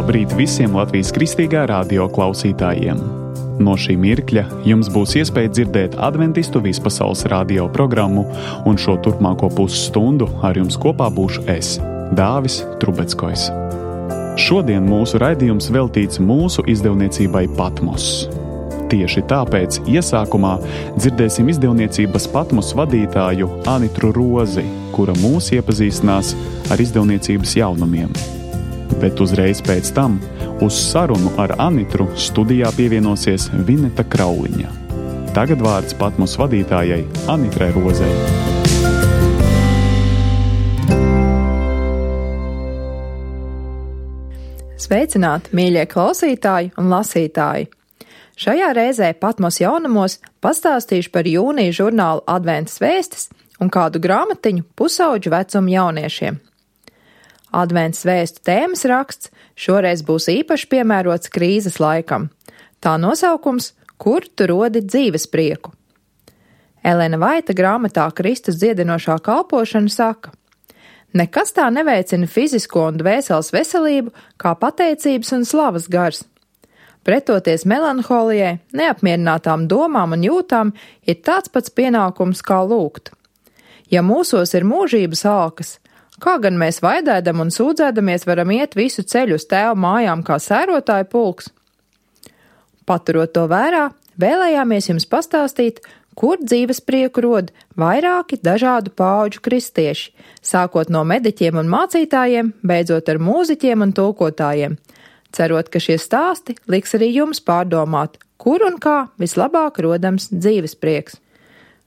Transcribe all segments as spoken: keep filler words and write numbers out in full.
Labrīt visiem Latvijas Kristīgā radio klausītājiem! No šī mirkļa jums būs iespēja dzirdēt Adventistu vispasaules radio programmu, un šo turpmāko pusstundu ar jums kopā būšu es, Dāvis Trubeckojs. Šodien mūsu raidījums veltīts mūsu izdevniecībai Patmos. Tieši tāpēc iesākumā dzirdēsim izdevniecības Patmos vadītāju Anitru Rozi, kura mūs iepazīstinās ar izdevniecības jaunumiem. Bet uzreiz pēc tam uz sarunu ar Anitru studijā pievienosies Vineta Krauliņa. Tagad vārds Patmos vadītājai Anitrai Rozei. Sveicināti, mīļie klausītāji un lasītāji! Šajā reizē Patmos jaunumos pastāstīšu par jūnija žurnāla Adventas vēstis un kādu grāmatiņu pusauģu vecuma jauniešiem. Adventas vēstu tēmas raksts šoreiz būs īpaši piemērots krīzes laikam. Tā nosaukums – Kur tu rodi dzīves prieku? Elena Vaita grāmatā Kristus dziedinošā kalpošana saka: nekas tā neveicina fizisko un dvēseles veselību kā pateicības un slavas gars. Pretoties melanholijai, neapmierinātām domām un jūtām ir tāds pats pienākums kā lūgt. Ja mūsos ir mūžības alkas, kā gan mēs vaidēdam un sūdzēdamies varam iet visu ceļu uz tēva mājām kā sērotāju pulks? Paturot to vērā, vēlējāmies jums pastāstīt, kur dzīves prieku rod vairāki dažādu paudžu kristieši, sākot no mediķiem un mācītājiem, beidzot ar mūziķiem un tulkotājiem, cerot, ka šie stāsti liks arī jums pārdomāt, kur un kā vislabāk rodams dzīves prieks.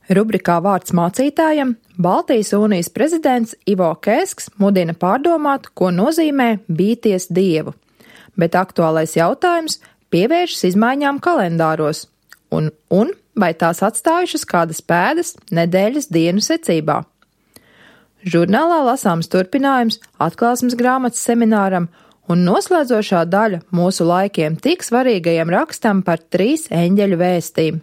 Rubrikā Vārds mācītājam Baltijas unijas prezidents Ivo Kēsks mudina pārdomāt, ko nozīmē bīties Dievu, bet aktuālais jautājums pievēršas izmaiņām kalendāros un, un vai tās atstājušas kādas pēdas nedēļas dienu secībā. Žurnālā lasāms turpinājums atklāsmes grāmatas semināram un noslēdzošā daļa mūsu laikiem tik svarīgajam rakstam par trīs eņģeļu vēstīm.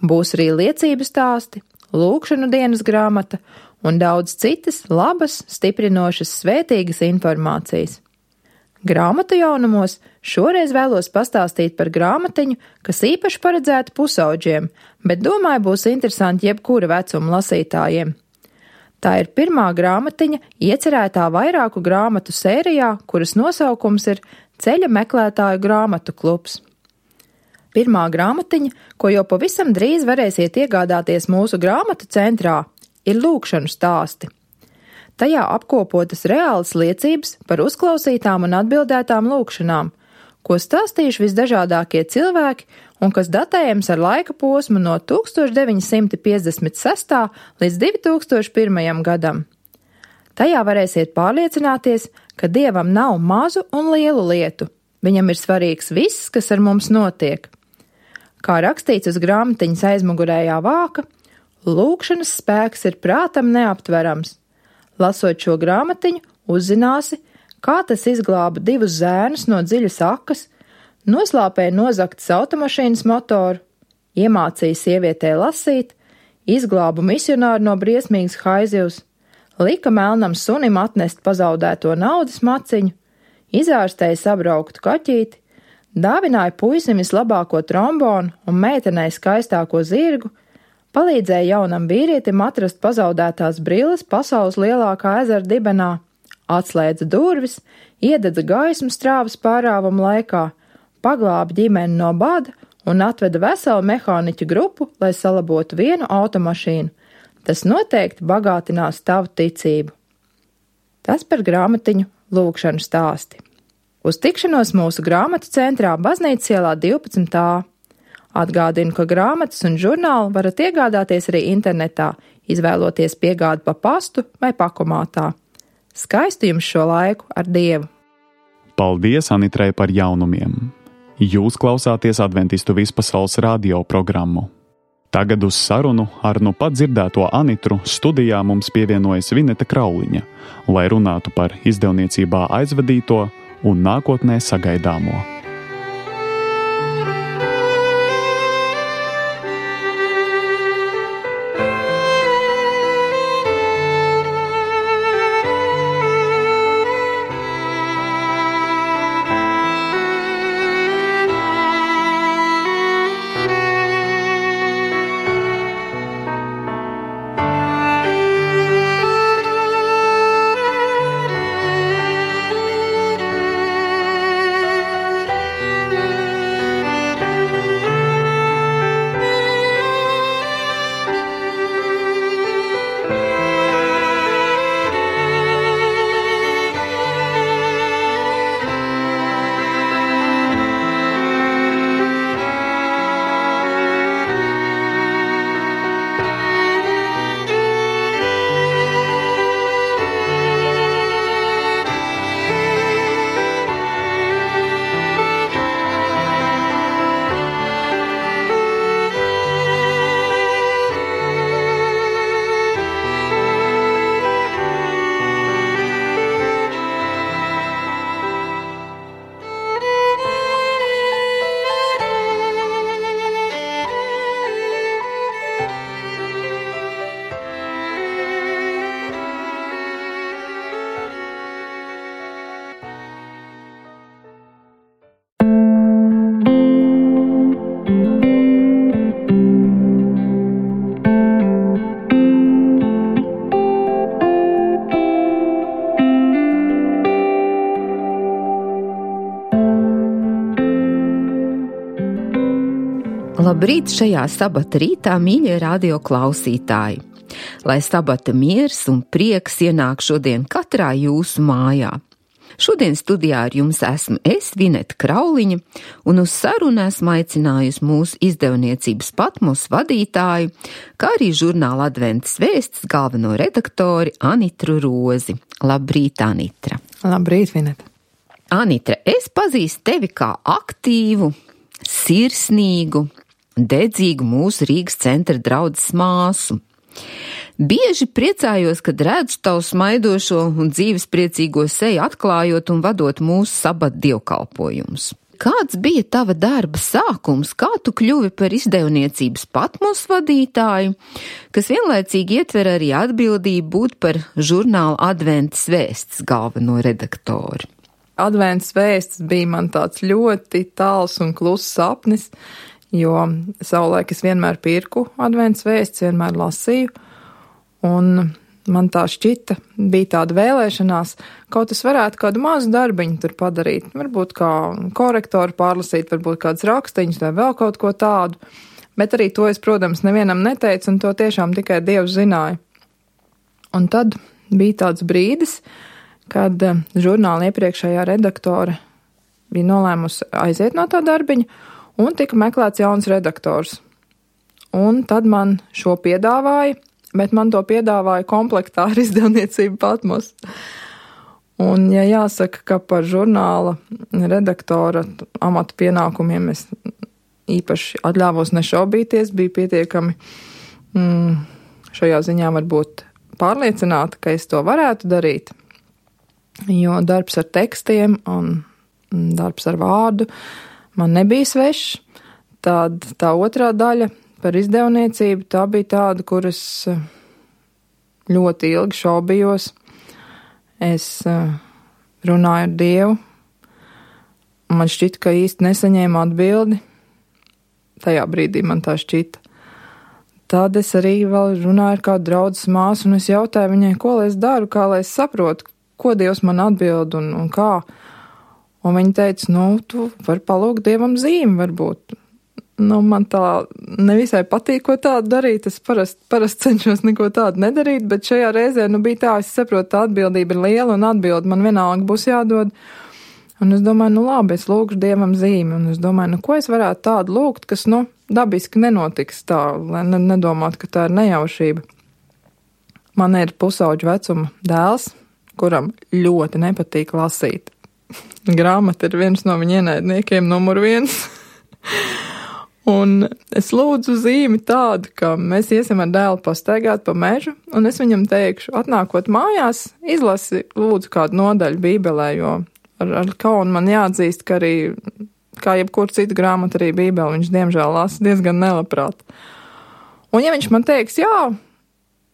Būs arī liecību stāsti, lūkšanu dienas grāmata un daudz citas labas, stiprinošas, svētīgas informācijas. Grāmatu jaunumos šoreiz vēlos pastāstīt par grāmatiņu, kas īpaši paredzēta pusauģiem, bet domāju būs interesanti jebkura vecuma lasītājiem. Tā ir pirmā grāmatiņa iecerētā vairāku grāmatu sērijā, kuras nosaukums ir Ceļa meklētāju grāmatu klubs. Pirmā grāmatiņa, ko jau pavisam drīz varēsiet iegādāties mūsu grāmatu centrā, ir lūkšanu stāsti. Tajā apkopotas reālas liecības par uzklausītām un atbildētām lūkšanām, ko stāstījuši visdažādākie cilvēki un kas datējams ar laika posmu no tūkstoš deviņi simti piecdesmit sestā līdz divi tūkstoši pirmajam gadam. Tajā varēsiet pārliecināties, ka Dievam nav mazu un lielu lietu, viņam ir svarīgs viss, kas ar mums notiek. Kā rakstīts uz grāmatiņas aizmugurējā vāka, lūkšanas spēks ir prātam neaptverams. Lasot šo grāmatiņu, uzzināsi, kā tas izglāba divus zēnus no dziļas akas, noslāpēja nozagtas automašīnas motoru, iemācīja sievietē lasīt, izglāba misionāru no briesmīgas haizivs, lika melnam sunim atnest pazaudēto naudas maciņu, izārstēja sabrauktu kaķīti, dāvināja puisim vislabāko trombonu un meitenei skaistāko zirgu, palīdzēja jaunam vīrietim atrast pazaudētās brilles pasaules lielākā ezera dibenā, atslēdza durvis, iededza gaismu strāvas pārāvuma laikā, paglāba ģimeni no bada un atveda veselu mehāniķu grupu, lai salabotu vienu automašīnu. Tas noteikti bagātinās tavu ticību. Tas par grāmatiņu lūkšanu stāsti. Uz tikšanos mūsu grāmatu centrā Baznīcas ielā divpadsmit A. Atgādinu, ka grāmatas un žurnālu varat iegādāties arī internetā, izvēloties piegādi pa pastu vai pakomātā. Skaistu jums šo laiku ar Dievu! Paldies Anitrai par jaunumiem! Jūs klausāties Adventistu vispasaules radio programmu. Tagad uz sarunu ar nu pat dzirdēto Anitru studijā mums pievienojas Vineta Krauliņa, lai runātu par izdevniecībā aizvadīto un nākotnē sagaidāmo. Labrīt šajā sabata rītā, mīļie radio klausītāji! Lai sabata miers un prieks ienāk šodien katrā jūsu mājā. Šodien studijā ar jums esmu es, Vineta Krauliņa, un uz sarunu esmu aicinājusi mūsu izdevniecības Patmos vadītāju, kā arī žurnāla Adventas vēstis galveno redaktori Anitru Rozi. Labrīt, Anitra! Labrīt, Vineta! Anitra, es pazīstu tevi kā aktīvu, sirsnīgu, dedzīgu mūsu Rīgas centra draudzes māsu. Bieži priecājos, kad redzu tavu smaidošo un dzīves priecīgo seju atklājot un vadot mūsu sabata dievkalpojumus. Kāds bija tava darba sākums, kā tu kļuvi par izdevniecības Patmos vadītāju, kas vienlaicīgi ietver arī atbildību būt par žurnāla Adventas vēstis galveno redaktori? Adventas vēstis bija man tāds ļoti tāls un kluss sapnis, jo savulaik es vienmēr pirku Adventas vēstis, vienmēr lasīju, un man tā šķita, bija tāda vēlēšanās, kaut es varētu kādu mazu darbiņu tur padarīt, varbūt kā korektoru pārlasīt, varbūt kāds rakstiņus vai vēl kaut ko tādu, bet arī to es, protams, nevienam neteicu, un to tiešām tikai Dievs zināja. Un tad bija tāds brīdis, kad žurnāla iepriekšējā redaktore bija nolēmusi aiziet no tā darbiņa, un tika meklēts jauns redaktors. Un tad man šo piedāvāja, bet man to piedāvāja komplektā ar izdevniecību Patmos. Un, ja jāsaka, ka par žurnāla redaktora amatu pienākumiem es īpaši atļāvos nešaubīties, bija pietiekami mm, šajā ziņā varbūt pārliecināta, ka es to varētu darīt, jo darbs ar tekstiem un darbs ar vārdu man nebija svešs. Tad tā otrā daļa par izdevniecību, tā bija tāda, kur es ļoti ilgi šaubījos. Es runāju ar Dievu, un man šķita, ka īsti nesaņēmu atbildi. Tajā brīdī man tā šķita. Tad es arī vēl runāju ar kādu draudzes māsu, un es jautāju viņai, ko lai es daru, kā lai es saprotu, ko Dievs man atbild un, un kā. Un viņa teica, nu, tu vari palūgt Dievam zīmi varbūt. Nu, man tā nevisai patīk, ko tādu darīt. Es parasti parast cenšos neko tādu nedarīt, bet šajā reizē, nu, bija tā, es saprotu, tā atbildība ir liela un atbildi man vienalga būs jādod. Un es domāju, nu, labi, es lūgšu Dievam zīmi. Un es domāju, nu, ko es varētu tādu lūgt, kas, nu, dabiski nenotiks tā, lai ne, nedomātu, ka tā ir nejaušība. Man ir pusauģu vecuma dēls, kuram ļoti nepatīk lasīt. Grāmata ir viens no viņa ienaidniekiem numur viens. Un es lūdzu zīmi tādu, ka mēs iesim ar dēlu pastaigāt pa mežu, un es viņam teikšu, atnākot mājās, izlasi lūdzu kādu nodaļu Bībelē, jo ar, ar kaunu man jāatzīst, ka arī, kā jebkur citu grāmatu, arī Bībeli viņš diemžēl lasa diezgan nelabprāt. Un ja viņš man teiks, jā,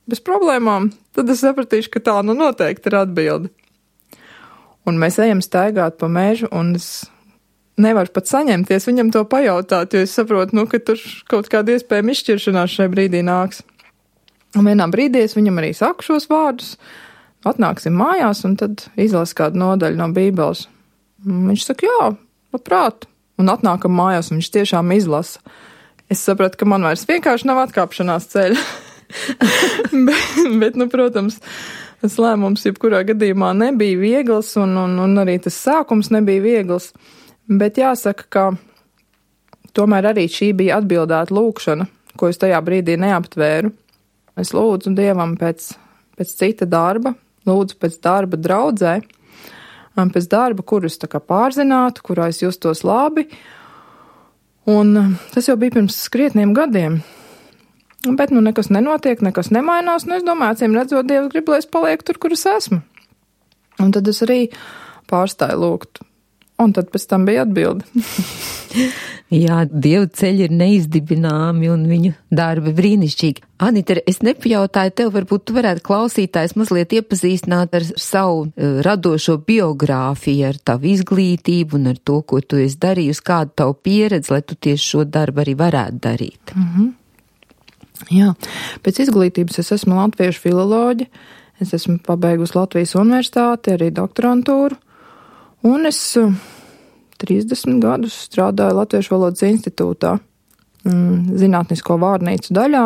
bez problēmām, tad es sapratīšu, ka tā nu noteikti ir atbildi. Un mēs ejam staigāt pa mežu, un es nevaru pat saņemties viņam to pajautāt, jo es saprotu, nu, ka tur kaut kāda iespējama izšķiršanās šai brīdī nāks. Un vienā brīdī es viņam arī saku šos vārdus, atnāksim mājās, un tad izlas kādu nodaļu no Bībeles. Un viņš saka, jā, labprāt. Un atnākam mājās, un viņš tiešām izlasa. Es sapratu, ka man vairs vienkārši nav atkāpšanās ceļa. bet, bet, nu, protams, tas lēmums jebkurā gadījumā nebija viegls, un, un, un arī tas sākums nebija viegls. Bet jāsaka, ka tomēr arī šī bija atbildēta lūkšana, ko es tajā brīdī neaptvēru. Es lūdzu Dievam pēc, pēc cita darba, lūdzu pēc darba draudzē, pēc darba, kurus tā kā pārzinātu, kurā es justos labi. Un tas jau bija pirms skrietniem gadiem. Bet nu nekas nenotiek, nekas nemainās, un es domāju, acīm redzot, Dievs grib, lai es palieku tur, kur es esmu. Un tad es arī pārstāju lūgt. Un tad pēc tam bija atbilde. Jā, Dieva ceļi ir neizdibināmi un viņu darbi brīnišķīgi. Anita, es nepajautāju tev, varbūt tu varētu klausītājs mazliet iepazīstināt ar savu uh, radošo biogrāfiju, ar tavu izglītību un ar to, ko tu esi darījusi, kādu tavu pieredzi, lai tu tieši šo darbu arī varētu darīt. Mm-hmm. Jā, pēc izglītības es esmu latviešu filoloģe, es esmu pabeigusi Latvijas universitāti, arī doktorantūru, un es uh, trīsdesmit gadus strādāju Latviešu valodas institūtā. zinātnisko vārnīcu daļā,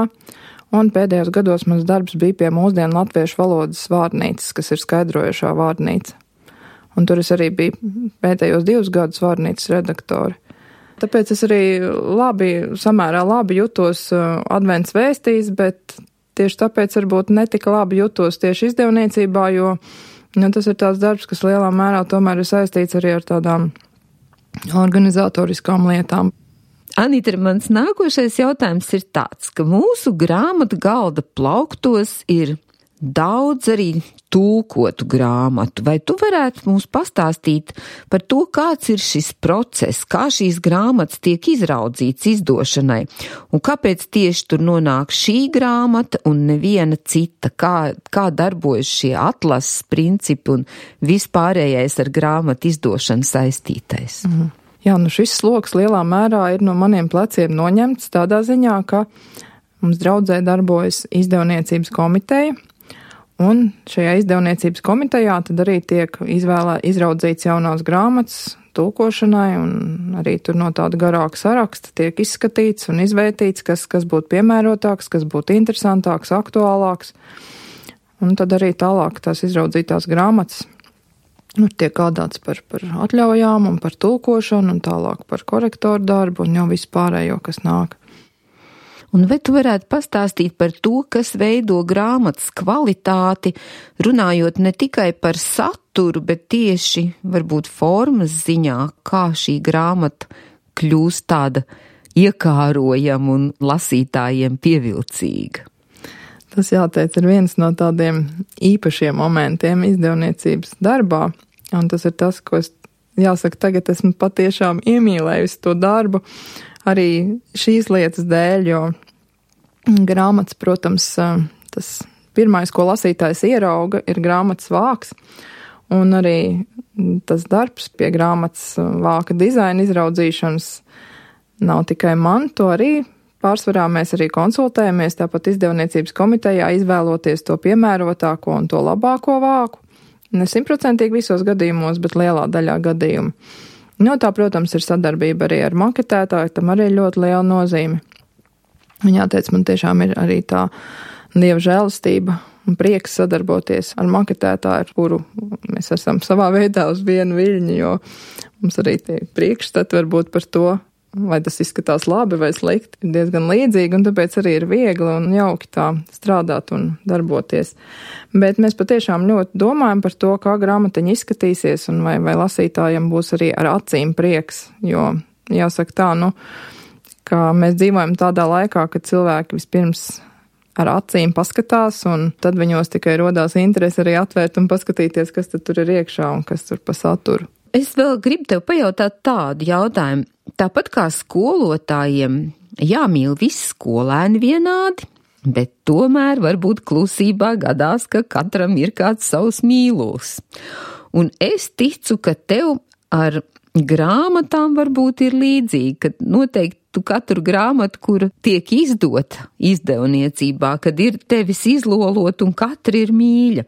un pēdējos gados mans darbs bija pie mūsdienu latviešu valodas vārnīcas, kas ir skaidrojošā vārnīca. Un tur es arī biju pēdējos divus gadus vārnīcas redaktori. Tāpēc es arī labi, samērā labi jutos advents vēstīs, bet tieši tāpēc varbūt netika labi jutos tieši izdevniecībā, jo nu, tas ir tāds darbs, kas lielā mērā tomēr ir saistīts arī ar tādām organizatoriskām lietām. Anita, mans nākošais jautājums ir tāds, ka mūsu grāmatu galda plauktos ir daudz arī tulkotu grāmatu. Vai tu varētu mums pastāstīt par to, kāds ir šis process, kā šīs grāmatas tiek izraudzīts izdošanai, un kāpēc tieši tur nonāk šī grāmata un neviena cita, kā, kā darbojas šie atlases principi un vispārējais ar grāmatu izdošanu saistītais? Mhm. Jā, nu šis sloks lielā mērā ir no maniem pleciem noņemts tādā ziņā, ka mums draudzē darbojas izdevniecības komiteja, un šajā izdevniecības komitejā tad arī tiek izvēlē, izraudzīts jaunās grāmatas tulkošanai, un arī tur no tāda garāka saraksta tiek izskatīts un izvērtīts, kas, kas būtu piemērotāks, kas būtu interesantāks, aktuālāks. Un tad arī tālāk tās izraudzītās grāmatas nu, tiek gādāts par, par atļaujām un par tulkošanu, un tālāk par korektoru darbu un jau visu pārējo, kas nāk. Un vai tu varētu pastāstīt par to, kas veido grāmatas kvalitāti, runājot ne tikai par saturu, bet tieši varbūt formas ziņā, kā šī grāmata kļūst tāda iekārojama un lasītājiem pievilcīga? Tas jāteic ir viens no tādiem īpašiem momentiem izdevniecības darbā, un tas ir tas, ko es, jāsaka, tagad esmu patiešām iemīlējusi to darbu, arī šīs lietas dēļ, jo grāmatas, protams, tas pirmais, ko lasītājs ierauga, ir grāmatas vāks, un arī tas darbs pie grāmatas vāka dizaina izraudzīšanas nav tikai man, to arī pārsvarā mēs arī konsultējamies, tāpat izdevniecības komitejā izvēloties to piemērotāko un to labāko vāku. Ne simtprocentīgi visos gadījumos, bet lielā daļā gadījumu. Nu, tā, protams, ir sadarbība arī ar maketētāju, tam arī ļoti liela nozīme. Un jāteic, man tiešām ir arī tā dieva žēlastība un prieks sadarboties ar maketētāju, ar kuru mēs esam savā veidā uz vienu viļņu, jo mums arī tie priekšstati varbūt par to, vai tas izskatās labi vai slikti, ir diezgan līdzīgi, un tāpēc arī ir viegli un jauki tā strādāt un darboties. Bet mēs patiešām ļoti domājam par to, kā grāmatiņa izskatīsies, un vai, vai lasītājiem būs arī ar acīm prieks, jo jāsaka tā, nu, ka mēs dzīvojam tādā laikā, kad cilvēki vispirms ar acīm paskatās, un tad viņos tikai rodās interesi arī atvērt un paskatīties, kas tad tur ir iekšā un kas tur pa saturu. Es vēl gribu tev pajautāt tādu jautājumu. Tāpat kā skolotājiem jāmīl visi skolēni vienādi, bet tomēr varbūt klusībā gadās, ka katram ir kāds savs mīlos. Un es ticu, ka tev ar grāmatām varbūt ir līdzīgi, ka noteikti tu katru grāmatu, kura tiek izdota izdevniecībā, kad ir tevis izlolot un katra ir mīļa,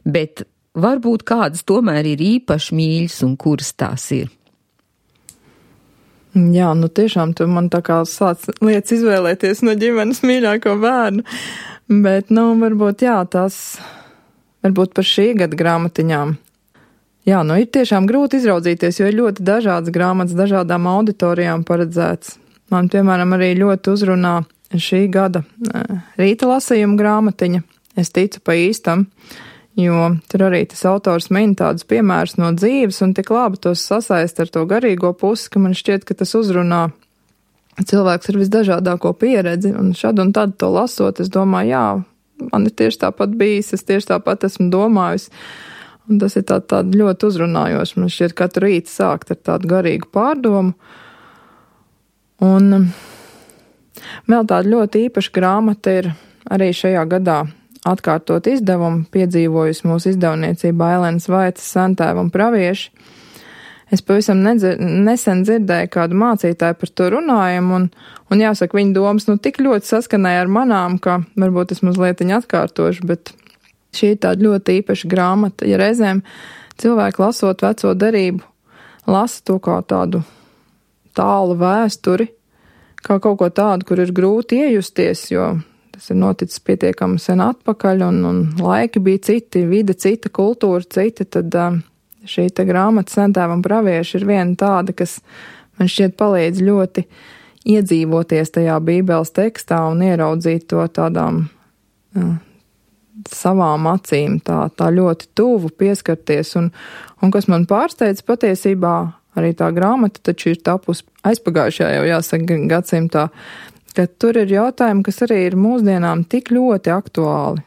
bet varbūt kādas tomēr ir īpaši mīļas un kuras tās ir. Jā, nu tiešām tu man tā kā sāc lietas izvēlēties no ģimenes mīļāko bērnu, bet, nu, varbūt, jā, tās, varbūt par šī gada grāmatiņām. Jā, nu, ir tiešām grūti izraudzīties, jo ir ļoti dažādas grāmatas, dažādām auditorijām paredzēts. Man, piemēram, arī ļoti uzrunā šī gada rīta lasījuma grāmatiņa, es ticu pa īstam, jo tur arī tas autors min tādus piemērus no dzīves un tik labi tos sasaist ar to garīgo pusi, ka man šķiet, ka tas uzrunā cilvēks ar visdažādāko pieredzi, un šad un tad to lasot, es domāju, jā, man ir tieši tāpat bijis, es tieši tāpat esmu domājis, un tas ir tā, tāda ļoti uzrunājoši, man šķiet katru rītu sākt ar tādu garīgu pārdomu, un vēl tāda ļoti īpaša grāmata ir arī šajā gadā atkārtot izdevumu, piedzīvojusi mūsu izdevniecībā Elenas Vaicas Sentēva un pravieši. Es pavisam nedzir, nesen dzirdēju kādu mācītāju par to runājumu, un, un jāsaka, viņa domas nu tik ļoti saskanēja ar manām, ka varbūt es mazliet viņu atkārtošu, bet šī ir tāda ļoti īpaša grāmata. Ja reizēm cilvēki lasot veco derību, lasa to kā tādu tālu vēsturi, kā kaut ko tādu, kur ir grūti iejusties, jo tas ir noticis pietiekami sen atpakaļ, un, un laiki bija citi, vide cita, kultūra cita, tad uh, šī te grāmata Sentēvam pravieši ir viena tāda, kas man šķiet palīdz ļoti iedzīvoties tajā Bībeles tekstā un ieraudzīt to tādām uh, savām acīm, tā, tā ļoti tuvu pieskarties, un, un kas man pārsteidz patiesībā, arī tā grāmata taču ir tapusi aizpagājušajā jau jāsaka gadsimtā, ka tur ir jautājumi, kas arī ir mūsdienām tik ļoti aktuāli.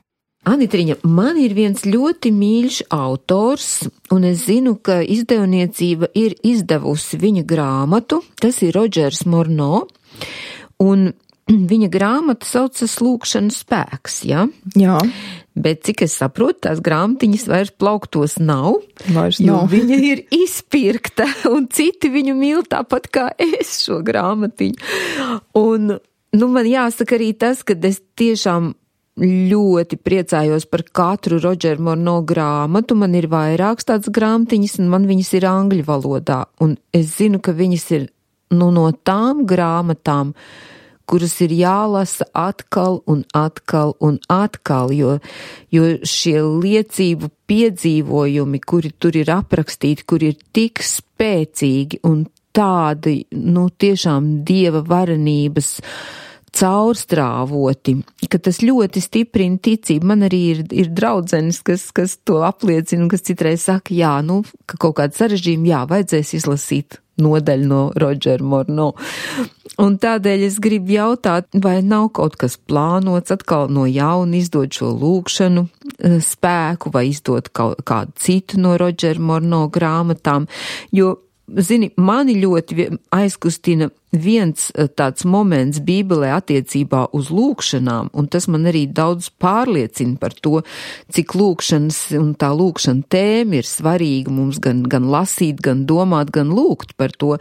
Anitriņa, man ir viens ļoti mīļš autors, un es zinu, ka izdevniecība ir izdevusi viņa grāmatu, tas ir Rodžers Morno, un viņa grāmata saucas Lūkšanas spēks, ja? Jā. Bet, cik es saprotu, tās grāmatiņas vairs plauktos nav, vairs jo nav. Viņa ir izpirkta, un citi viņu mīl tāpat kā es šo grāmatiņu. Un, nu, man jāsaka arī tas, ka es tiešām ļoti priecājos par katru Rodžera Morno grāmatu. Man ir vairākas tādas grāmatiņas, un man viņas ir angļu valodā. Un es zinu, ka viņas ir, nu, no tām grāmatām, kuras ir jālasa atkal un atkal un atkal, jo, jo šie liecību piedzīvojumi, kuri tur ir aprakstīti, kuri ir tik spēcīgi un tādi, nu, tiešām dieva varenības caurstrāvoti, ka tas ļoti stiprina ticību. Man arī ir, ir draudzenes, kas, kas to apliecina, un kas citreiz saka, jā, nu, ka kaut kādu sarežģījumu, jā, vajadzēs izlasīt nodaļu no Rodžera Morno. Un tādēļ es gribu jautāt, vai nav kaut kas plānots atkal no jauna izdot šo lūkšanu spēku, vai izdot kaut kādu citu no Rodžera Morno grāmatām, jo zini, mani ļoti aizkustina viens tāds moments Bībelē attiecībā uz lūkšanām, un tas man arī daudz pārliecina par to, cik lūkšanas un tā lūkšana tēma ir svarīga mums gan, gan lasīt, gan domāt, gan lūgt par to.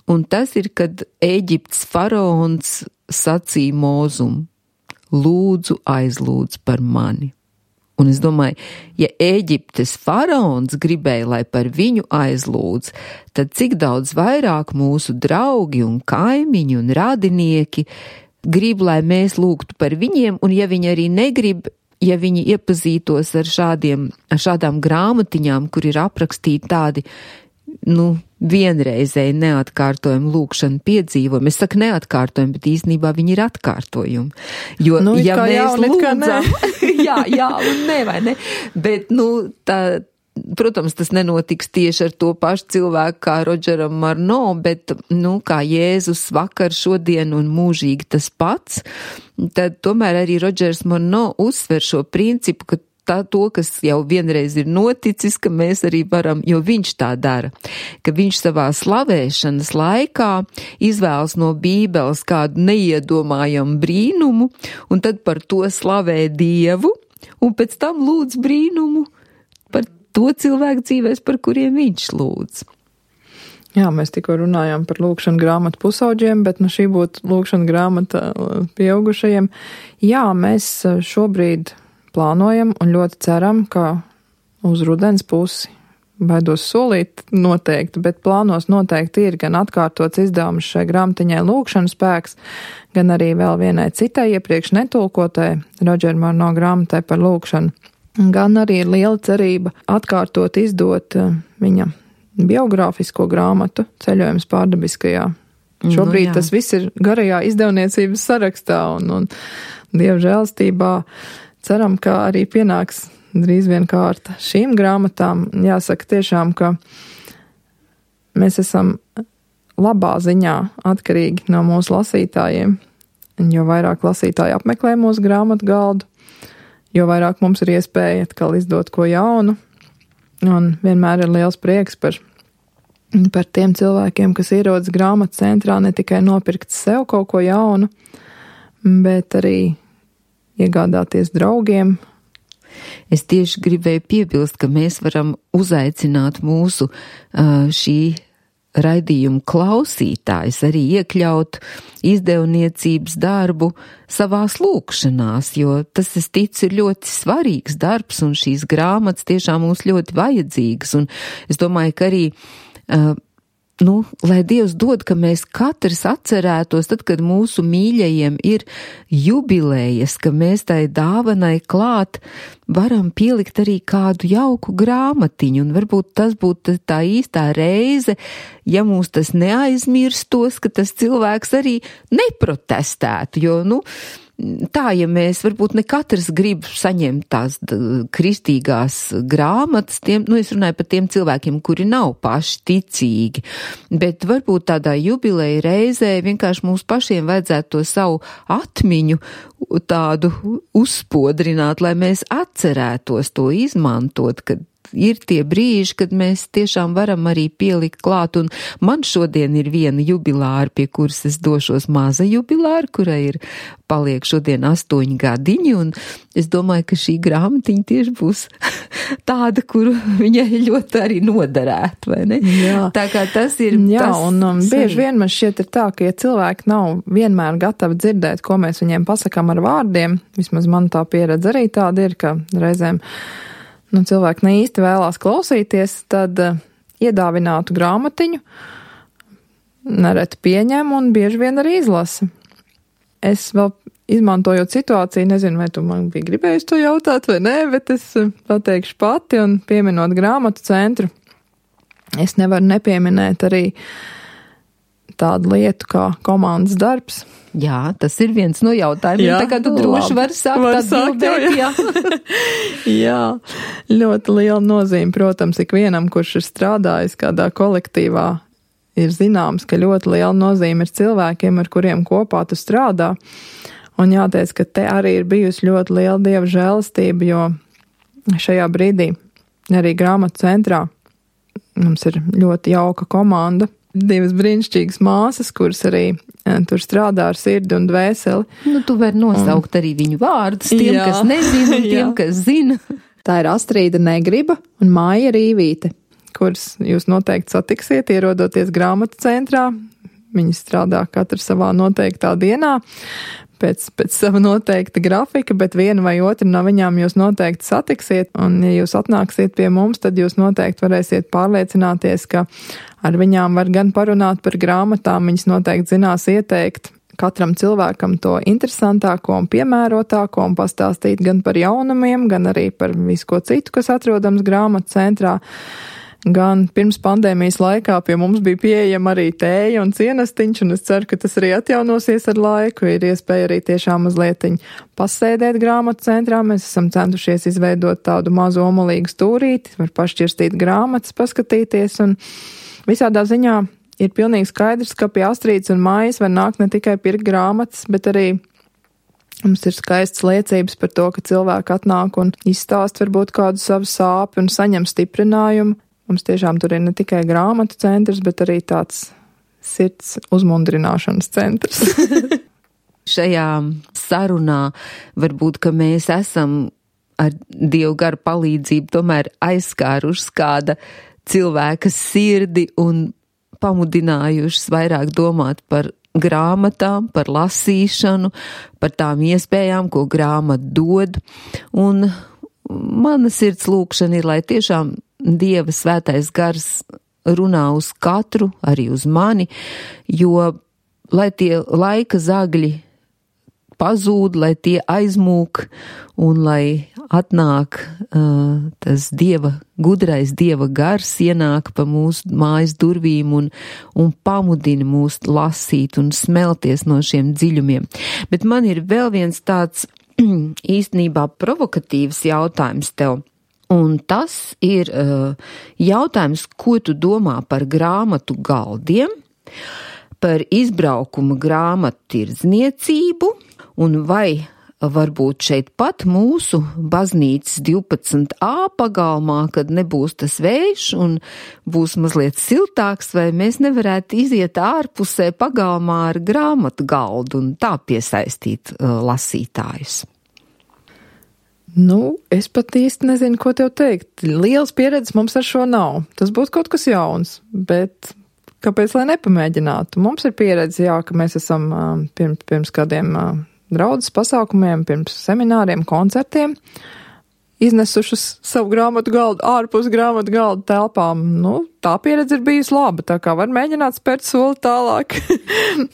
Un tas ir, kad Ēģiptes faraons sacīja Mūzum, lūdzu aizlūdz par mani. Un es domāju, ja Ēģiptes faraons gribēja, lai par viņu aizlūdz, tad cik daudz vairāk mūsu draugi un kaimiņi un radinieki grib, lai mēs lūgtu par viņiem, un ja viņi arī negrib, ja viņi iepazītos ar šādiem, ar šādām grāmatiņām, kur ir aprakstīti tādi, nu, vienreizēji neatkārtojumi lūkšana piedzīvojumi. Es saku neatkārtojumi, bet īstenībā viņi ir atkārtojumi. Jo, nu, ja mēs jā, lūdzam, jā, jā, un ne, vai ne, bet, nu, tā, protams, tas nenotiks tieši ar to pašu cilvēku kā Rodžeram Morno, bet, nu, kā Jēzus vakar, šodien un mūžīgi tas pats, tad tomēr arī Rodžers Morno uzsver šo principu, ka tā to, kas jau vienreiz ir noticis, ka mēs arī varam, jo viņš tā dara, ka viņš savā slavēšanas laikā izvēlas no Bībeles kādu neiedomājamu brīnumu, un tad par to slavē Dievu, un pēc tam lūdz brīnumu par to cilvēku dzīvēs, par kuriem viņš lūdz. Jā, mēs tikko runājām par lūkšanu grāmatu pusauģiem, bet nu šī būtu lūkšana grāmata pieaugušajiem. Jā, mēs šobrīd plānojam un ļoti ceram, ka uz rudens pusi, baidos solīt noteikti, bet plānos noteikti ir gan atkārtots izdevums šai grāmatiņai Lūkšanas spēks, gan arī vēl vienai citai iepriekš netulkotai Rodžera Morno grāmatai par lūkšanu. Gan arī ir liela cerība atkārtot izdot viņa biogrāfisko grāmatu Ceļojums pārdabiskajā. Šobrīd nu, tas viss ir garajā izdevniecības sarakstā un, un Dieva žēlstībā. Ceram, ka arī pienāks drīz vien kārta šīm grāmatām. Jāsaka tiešām, ka mēs esam labā ziņā atkarīgi no mūsu lasītājiem. Jo vairāk lasītāji apmeklē mūsu grāmatu galdu, jo vairāk mums ir iespēja atkal izdot ko jaunu. Un vienmēr ir liels prieks par, par tiem cilvēkiem, kas ierodas grāmatu centrā ne tikai nopirkt sev kaut ko jaunu, bet arī iegādāties draugiem. Es tieši gribēju piebilst, ka mēs varam uzaicināt mūsu šī raidījuma klausītājs arī iekļaut izdevniecības darbu savās lūkšanās, jo tas, es ticu, ir ļoti svarīgs darbs, un šīs grāmatas tiešām mums ļoti vajadzīgas, un es domāju, ka arī nu, lai Dievs dod, ka mēs katrs atcerētos, tad, kad mūsu mīļajiem ir jubilējas, ka mēs tai dāvanai klāt varam pielikt arī kādu jauku grāmatiņu, un varbūt tas būtu tā īstā reize, ja mūs tas neaizmirstos, ka tas cilvēks arī neprotestētu, jo, nu, tā, ja mēs varbūt ne katrs grib saņemt tās kristīgās grāmatas, tiem, nu es runāju par tiem cilvēkiem, kuri nav paši ticīgi, bet varbūt tādā jubileja reizē vienkārši mums pašiem vajadzētu to savu atmiņu tādu uzspodrināt, lai mēs atcerētos to izmantot, kad ir tie brīži, kad mēs tiešām varam arī pielikt klāt, un man šodien ir viena jubilāra, pie kuras es došos, maza jubilāra, kurai ir paliek šodien astoņi gadiņi, un es domāju, ka šī grāmatiņa tieši būs tāda, kuru viņai ļoti arī noderētu, vai ne? Jā. Tā kā tas ir... Jā, tas un um, bieži vien man šķiet ir tā, ka ja cilvēki nav vienmēr gatavi dzirdēt, ko mēs viņiem pasakām ar vārdiem, vismaz man tā pieredze arī tāda ir, ka reizēm nu, cilvēki ne īsti vēlās klausīties, tad uh, iedāvinātu grāmatiņu nereti pieņem un bieži vien arī izlasa. Es vēl izmantojot situāciju, nezinu, vai tu man bija gribējis to jautāt vai nē, bet es uh, pateikšu pati un pieminot grāmatu centru, es nevaru nepieminēt arī tādu lietu kā komandas darbs. Jā, tas ir viens no jautājumiem, jā, tā kā tu droši vari sākt var atbildēt, jā. Jā, ļoti liela nozīme, protams, ikvienam, kurš ir strādājis kādā kolektīvā, ir zināms, ka ļoti liela nozīme ir cilvēkiem, ar kuriem kopā tu strādā. Un jāteic, ka te arī ir bijusi ļoti liela Dieva žēlastība, jo šajā brīdī arī grāmatu centrā mums ir ļoti jauka komanda. Divas brīnišķīgas māsas, kuras arī ja, tur strādā ar sirdi un dvēseli. Nu, tu vari nosaukt un... arī viņu vārdus, tiem, jā. Kas nezina, un tiem, kas zina. Tā ir Astrīda Negriba un Māja Rīvīte, kuras jūs noteikti satiksiet, ierodoties grāmatu centrā. Viņi strādā katru savā noteiktā dienā, pēc, pēc sava noteikta grafika, bet viena vai otra no viņām jūs noteikti satiksiet, un ja jūs atnāksiet pie mums, tad jūs noteikti varēsiet pārliecināties, ka ar viņām var gan parunāt par grāmatām, viņas noteikti zinās ieteikt katram cilvēkam to interesantāko un piemērotāko un pastāstīt gan par jaunumiem, gan arī par visu ko citu, kas atrodams grāmatu centrā. Gan pirms pandēmijas laikā pie mums bija pieejama arī tēja un cienestiņš, un es ceru, ka tas arī atjaunosies ar laiku. Ir iespēja arī tiešām mazlietiņ pasēdēt grāmatu centrā. Mēs esam centušies izveidot tādu mazu omulīgu stūrīti, var pašķirstīt grāmatas, paskatīties, un visādā ziņā ir pilnīgi skaidrs, ka pie Astrīdas un Mājas var nākt ne tikai pirkt grāmatas, bet arī mums ir skaistas liecības par to, ka cilvēki atnāk un izstāst varbūt kādu savu sāpi un saņem stiprinājumu. Mums tiešām tur ir ne tikai grāmatu centrs, bet arī tāds sirds uzmundrināšanas centrs. Šajā sarunā varbūt, ka mēs esam ar Dievu garu palīdzību tomēr aizskāruši kāda cilvēka sirdi un pamudinājušas vairāk domāt par grāmatām, par lasīšanu, par tām iespējām, ko grāmata dod. Un mana sirds lūkšana ir, lai tiešām Dieva svētais gars runā uz katru, arī uz mani, jo lai tie laika zagļi pazūd, lai tie aizmūk un lai atnāk uh, tas Dieva, gudrais Dieva gars ienāk pa mūsu mājas durvīm un, un pamudina mūs lasīt un smelties no šiem dziļumiem. Bet man ir vēl viens tāds īstenībā provokatīvs jautājums tev. Un tas ir uh, jautājums, ko tu domā par grāmatu galdiem, par izbraukuma grāmatu tirdzniecību, un vai varbūt šeit pat mūsu baznīcas divpadsmit A pagalmā, kad nebūs tas vējš un būs mazliet siltāks, vai mēs nevarētu iziet ārpusē pagalmā ar grāmatu galdu un tā piesaistīt uh, lasītājus. Nu, es pat īsti nezinu, ko tev teikt. Liels pieredzes mums ar šo nav. Tas būtu kaut kas jauns, bet kāpēc lai nepamēģinātu? Mums ir pieredze, jā, ka mēs esam pirms, pirms kādiem draudzes pasākumiem, pirms semināriem, koncertiem iznesušas savu grāmatu galdu ārpus grāmatu galdu telpām. Nu, tā pieredze ir bijusi laba, tā kā var mēģināt spērt soli tālāk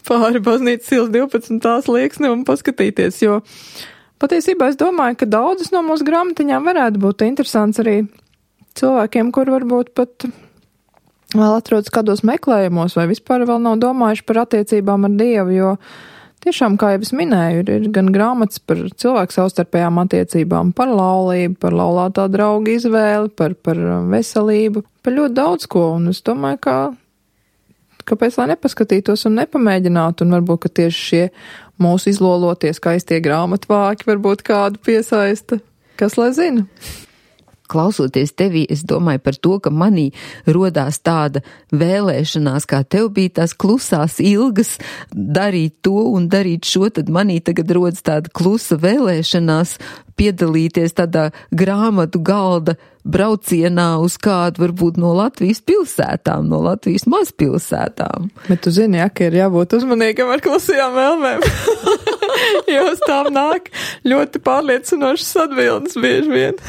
pāri baznīcas ielas divpadsmitās slieksni un paskatīties, jo patiesībā es domāju, ka daudzas no mūsu grāmatiņām varētu būt interesants arī cilvēkiem, kur varbūt pat vēl atrodas kādos meklējumos vai vispār vēl nav domājuši par attiecībām ar Dievu, jo tiešām, kā jau es minēju, ir, ir gan grāmatas par cilvēku savstarpējām attiecībām, par laulību, par laulātā drauga izvēli, par, par veselību, par ļoti daudz ko, un es domāju, ka kāpēc lai nepaskatītos un nepamēģinātu, un varbūt, ka tieši šie mūsu izlolotie skaistie grāmatvāki varbūt kādu piesaista, kas lai zina. Klausoties tevī, es domāju par to, ka manī rodās tāda vēlēšanās, kā tev bija tās klusās ilgas darīt to un darīt šo, tad manī tagad rodas tāda klusa vēlēšanās piedalīties tādā grāmatu galda braucienā uz kādu varbūt no Latvijas pilsētām, no Latvijas mazpilsētām. Bet tu zini, ja, ka ir jābūt uzmanīgam ar klusajām vēlmēm, jo uz tām nāk ļoti pārliecinošas atbildes bieži vien.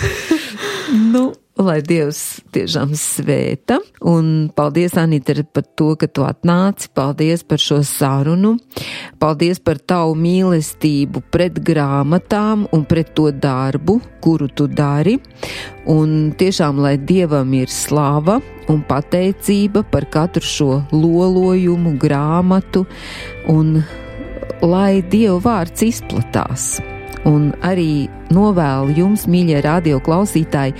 Nu, lai Dievs tiešām svēta, un paldies, Anita, par to, ka tu atnāci, paldies par šo sarunu, paldies par tavu mīlestību pret grāmatām un pret to darbu, kuru tu dari, un tiešām, lai Dievam ir slava un pateicība par katru šo lolojumu, grāmatu, un lai Dieva vārds izplatās. Un arī novēlu jums, mīļie radio klausītāji,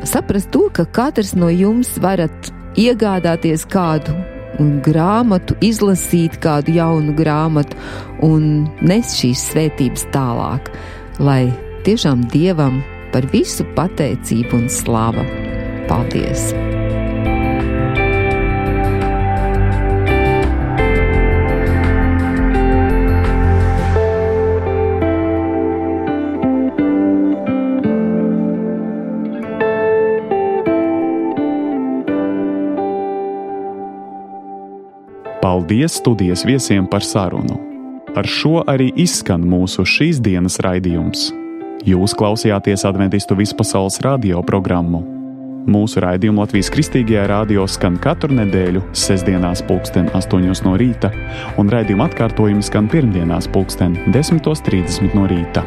saprast to, ka katrs no jums varat iegādāties kādu grāmatu, izlasīt kādu jaunu grāmatu un nes šīs svētības tālāk, lai tiešām Dievam par visu pateicību un slava. Paldies! Paldies studijas viesiem par sarunu. Ar šo arī izskan mūsu šīs dienas raidījums. Jūs klausījāties Adventistu vispasaules radio programmu. Mūsu raidījumu Latvijas Kristīgajā radio skan katru nedēļu sestdienās pulksten astoņos no rīta, un raidījuma atkārtojumi skan pirmdienās pulksten desmitos trīsdesmit no rīta.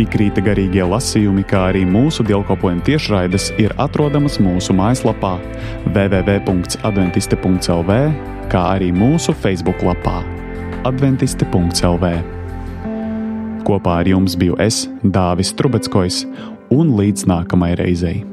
Ikrīta garīgie lasījumi, kā arī mūsu dievkalpojuma tiešraides ir atrodamas mūsu mājaslapā w w w punkts adventiste punkts l v, kā arī mūsu Facebook lapā adventiste punkts l v. Kopā ar jums biju es, Dāvis Trubeckojs, un līdz nākamai reizei.